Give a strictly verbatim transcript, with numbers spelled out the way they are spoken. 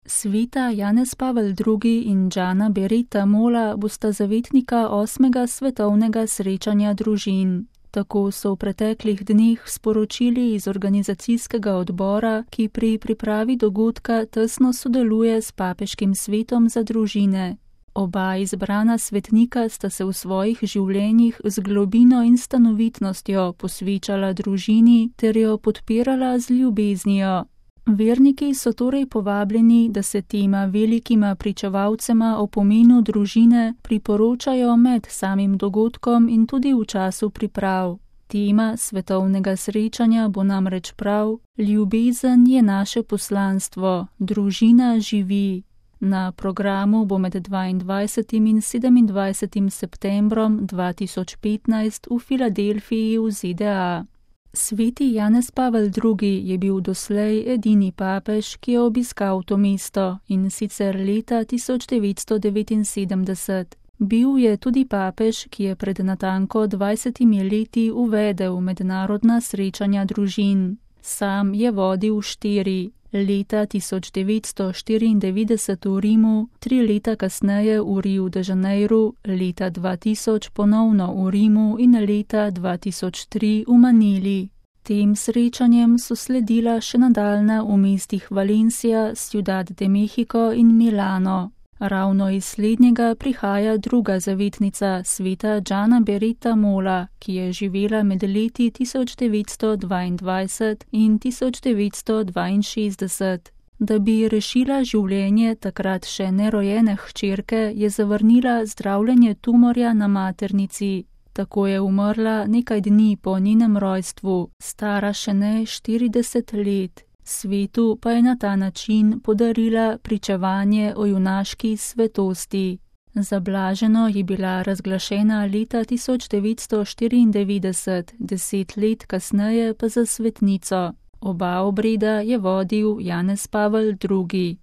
Sveta Janez Pavel drugi in Gianna Beretta Mola bosta zavetnika osmega svetovnega srečanja družin. Tako so v preteklih dneh sporočili iz organizacijskega odbora, ki pri pripravi dogodka tesno sodeluje s papeškim svetom za družine. Oba izbrana svetnika sta se v svojih življenjih z globino in stanovitnostjo posvečala družini ter jo podpirala z ljubeznijo. Verniki so torej povabljeni, da se tema velikima pričevalcema o pomenu družine priporočajo med samim dogodkom in tudi v času priprav. Tema svetovnega srečanja bo namreč prav: ljubezen je naše poslanstvo, družina živi. Na programu bo med dvaindvajsetim in sedemindvajsetim septembrom dva tisoč petnajst v Filadelfiji v Z D A. Sveti Janez Pavel drugi je bil doslej edini papež, ki je obiskal to mesto, in sicer leta tisoč devetsto devetinsedemdeset. Bil je tudi papež, ki je pred natanko dvajsetimi leti uvedel mednarodna srečanja družin. Sam je vodil štiri. Leta tisoč devetsto štiriindevetdeset v Rimu, tri leta kasneje v Rio de Janeiru, leta dva tisoč ponovno v Rimu in leta dva tisoč tri v Manili. Tem srečanjem so sledila še nadaljna v mestih Valencia, Ciudad de México in Milano. Ravno iz slednjega prihaja druga zavetnica, sveta Gianna Beretta Mola, ki je živela med leti tisoč devetsto dvaindvajset in tisoč devetsto dvainšestdeset. Da bi rešila življenje takrat še nerojene hčerke, je zavrnila zdravljenje tumorja na maternici. Tako je umrla nekaj dni po njenem rojstvu, stara še ne štirideset let. Svetu pa je na ta način podarila pričevanje o junaški svetosti. Za blaženo je bila razglašena leta tisoč devetsto štiriindevetdeset, deset let kasneje pa za svetnico. Oba obreda je vodil Janez Pavel drugi.